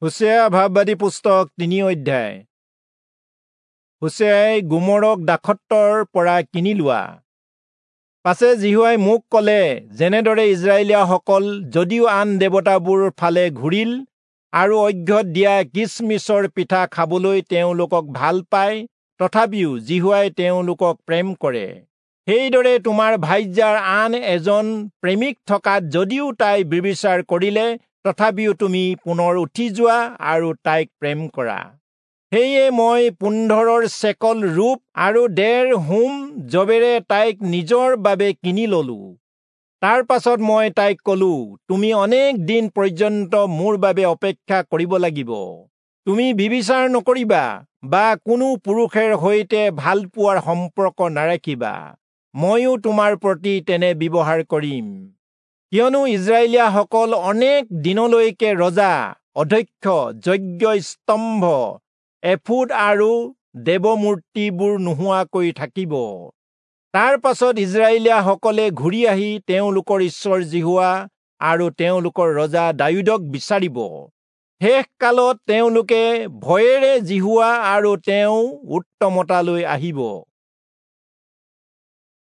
হোচেয়া ভাববাদী পুস্তক 3 অধ্যায়। হোচেয়াই গোমৰক দাসত্বৰ পৰা কিনি লোৱা। পাছে যিহোৱাই মোক ক'লে, যেনেদৰে ইস্ৰায়েলীয়াসকল যদিও আন দেৱতাবোৰ ফালে ঘূৰিল আৰু অৰ্ঘ্যত দিয়া কিচমিচৰ পিঠা খাবলৈ তেওঁলোকক ভাল পায়, তথাপিও যিহোৱাই তেওঁলোকক প্ৰেম কৰে। সেইদৰে তোমাৰ ভাৰ্যাৰ আন এজন প্ৰেমিক থকাত যদিও তাই ব্যভিচাৰ কৰিলে, তথাপিও তুমি পুনৰ উঠি যোৱা আৰু তাইক প্ৰেম কৰা। সেয়ে মই 15 চেকল ৰূপ আৰু 1.5 হোম যবেৰে তাইক নিজৰ বাবে কিনি ললো। তাৰ পাছত মই তাইক কলো, তুমি অনেক দিন পৰ্যন্ত মোৰ বাবে অপেক্ষা কৰিব লাগিব। তুমি ব্যভিচাৰ নকৰিবা বা কোনো পুৰুষেৰ সৈতে ভাল পোৱাৰ সম্পৰ্ক নাৰাখিবা। ময়ো তোমাৰ প্ৰতি তেনে ব্যৱহাৰ কৰিম। কিয়নো ইস্ৰায়েলীয়াসকল অনেক দিনলৈকে ৰজা, অধ্যক্ষ, যজ্ঞ স্তম্ভ, এফোদ আৰু দেৱমূৰ্তিবোৰ নোহোৱাকৈ থাকিব। তাৰ পাছত ইস্ৰায়েলীয়াসকলে ঘূৰি আহি তেওঁলোকৰ ঈশ্বৰ যিহোৱা আৰু তেওঁলোকৰ ৰজা দায়ূদক বিচাৰিব। শেষ কালত তেওঁলোকে ভয়েৰে যিহোৱা আৰু তেওঁ উত্তমতালৈ আহিব।